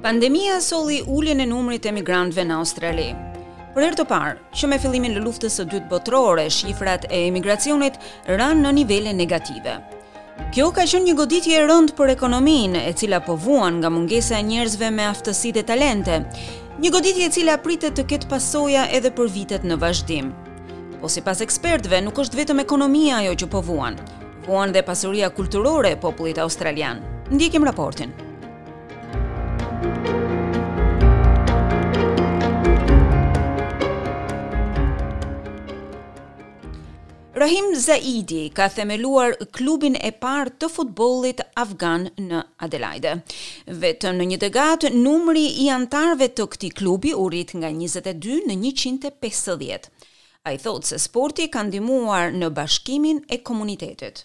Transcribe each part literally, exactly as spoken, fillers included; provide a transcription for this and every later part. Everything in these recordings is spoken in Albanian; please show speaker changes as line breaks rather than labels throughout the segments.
Pandemia solli uljen e numrit të emigrantëve në Australi. Për herë të parë, që me fillimin e luftës së dytë botërore, shifrat e emigracionit ranë në nivele negative. Kjo ka qenë një goditje e rëndë për ekonominë, e cila po vuan nga mungesa e njerëzve me aftësi dhe talente. Një goditje e cila pritet të ketë pasoja edhe për vitet në vazhdim. Po sipas ekspertëve, nuk është vetëm ekonomia ajo që po vuan. Vuan dhe pasuria kulturore e popullit australian. Ndjekim raportin. Rahim Zaidi ka themeluar klubin e parë të futbollit afgan në Adelaide. Vetëm në një dekadë, numri i anëtarëve të këtij klubi u rrit nga njëzet e dy në njëqind e pesëdhjetë. Ai thotë se sporti ka ndihmuar në bashkimin e komunitetit.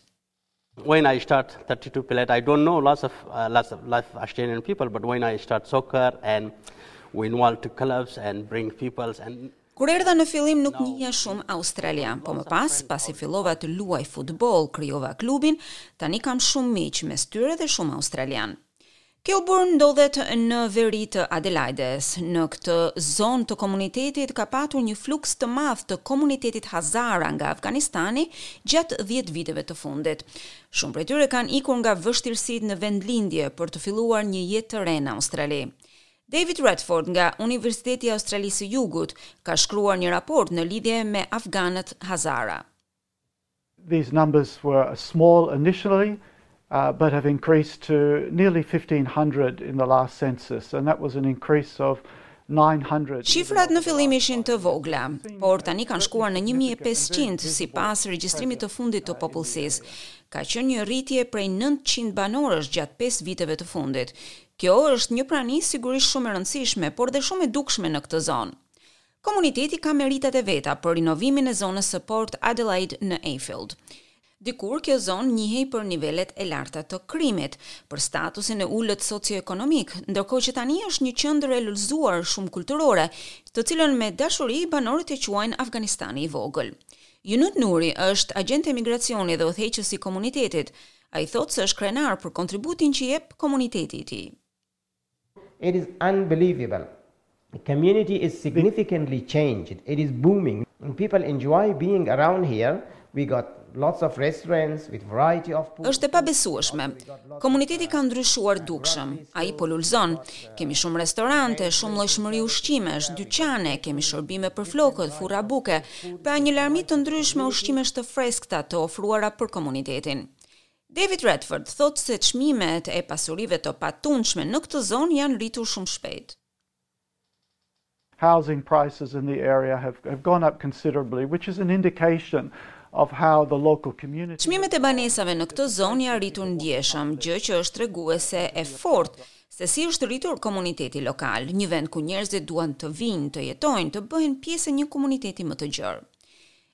When I start thirty-two players, I don't know lots of uh, lots of lots of Australian people, but when I start soccer and we involve to clubs and bring people and
Kur erdha në fillim nuk njihja shumë australian, po më pas, pasi fillova të luaj futboll, krijova klubin, tani kam shumë miq mes tyre dhe shumë australian. Kelburn ndodhet në veri të Adelaides. Në këtë zonë të komunitetit ka patur një fluks të madh të komunitetit Hazara nga Afganistani gjatë dhjetë viteve të fundit. Shumë prej tyre kanë ikur nga vështirësitë në vendlindje për të filluar një jetë të re në Australi. David Redford nga Universiteti i Australisë së Jugut ka shkruar një raport në lidhje me afganët Hazara.
These numbers were small initially, uh, but have increased to nearly fifteen hundred in the last census, and that was an increase of nine hundred.
Shifrat në fillim ishin të vogla, por tani kanë shkuar në një mijë e pesëqind sipas regjistrimit të fundit të popullsisë. Ka qenë një rritje prej nëntëqind banorësh gjatë pesë viteve të fundit. Kjo është një prani sigurisht shumë e rëndësishme, por dhe shumë e dukshme në këtë zonë. Komuniteti ka meritat e veta për rinovimin e zonës së Port Adelaide në Eyfield. Dikur kjo zonë njihej për nivelet e larta të krimit, për statusin e ulët socioekonomik, ndërkohë që tani është një qendër e lulëzuar shumë kulturore, të cilën me dashuri banorët e quajnë Afganistani i vogël. Junut Nuri është agent emigracioni dhe udhëheqës i komunitetit. Ai thotë se është krenar për kontributin që jep komuniteti i tij.
It is unbelievable. The community is significantly changed. It is booming. And people enjoy being around here. We got lots of restaurants with variety of food.
Është e pabesueshme. Komuniteti ka ndryshuar dukshëm. Ai po lulzon. Kemi shumë restorante, shumë llojshmëri ushqimesh, dyqane, kemi shërbime për flokët, furra buke, pra një larmi të ndryshme ushqimesh të freskëta të ofruara për komunitetin. David Redford thotë se çmimet e pasurive të patundshme në këtë zonë janë rritur shumë shpejt.
Housing prices in the area have, have gone up considerably, which is an indication of how the local community
Çmimet e banesave në këtë zonë janë rritur ndjeshëm, gjë që është treguese e fortë se si është rritur komuniteti lokal, një vend ku njerëzit duan të vinë, të jetojnë, të bëhen pjesë e një komuniteti më të gjerë.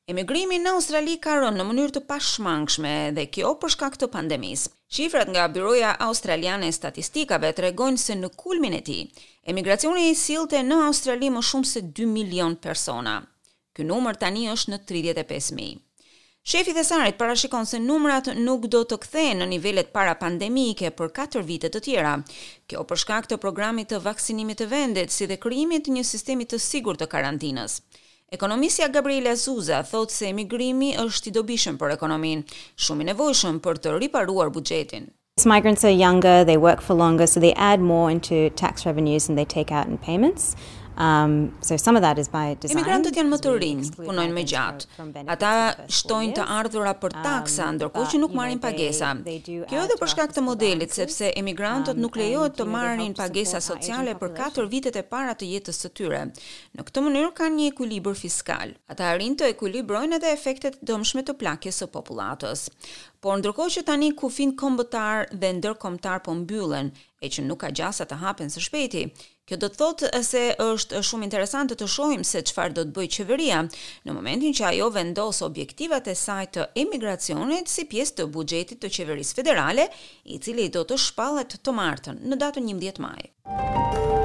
Emigrimi në Australi ka rënë në mënyrë të pashmangshme dhe kjo për shkak të pandemisë. Shifrat nga Byroja Australiane e Statistikave tregojnë se në kulmin e tij, emigracioni sillte në Australi më shumë se dy milion persona. Ky numër tani është në tridhjetë e pesë mijë. Shefi i thesarit parashikon se numrat nuk do të kthehen në nivelet para pandemike për katër vite të tjera. Kjo për shkak të programit të vaksinimit të vendit, si dhe krijimit të një sistemi të sigurt të karantinës. Ekonomistja Gabriela Zuza thotë se emigrimi është i dobishëm për ekonominë, shumë i nevojshëm për të riparuar buxhetin.
Migrants are younger, they work for longer, so they add more into tax revenues than they take out in payments. Um, so some of that is by design.
Emigrantët janë më të rinj, punojnë më gjatë. Ata shtojnë të ardhura për taksa, um, ndërkohë që nuk marrin pagesa. Kjo edhe për shkak të modelit, sepse emigrantët nuk lejohet të marrin pagesa sociale për katër vitet e para të jetës së tyre. Në këtë mënyrë kanë një ekuilibër fiskal. Ata arrijnë të ekuilibrojnë edhe efektet e dëmshme të plakjes së popullatës. Por ndërkohë që tani kufijtë kombëtar dhe ndërkombëtar po mbyllen, e që nuk ka gjasa të hapen së shpejti, kjo do të thotë se është shumë interesante të shohim se çfarë do të bëjë qeveria në momentin që ajo vendos objektivat e saj të emigracionit si pjesë të buxhetit të qeverisë federale, i cili do të shpallet të martën në datën njëmbëdhjetë maj.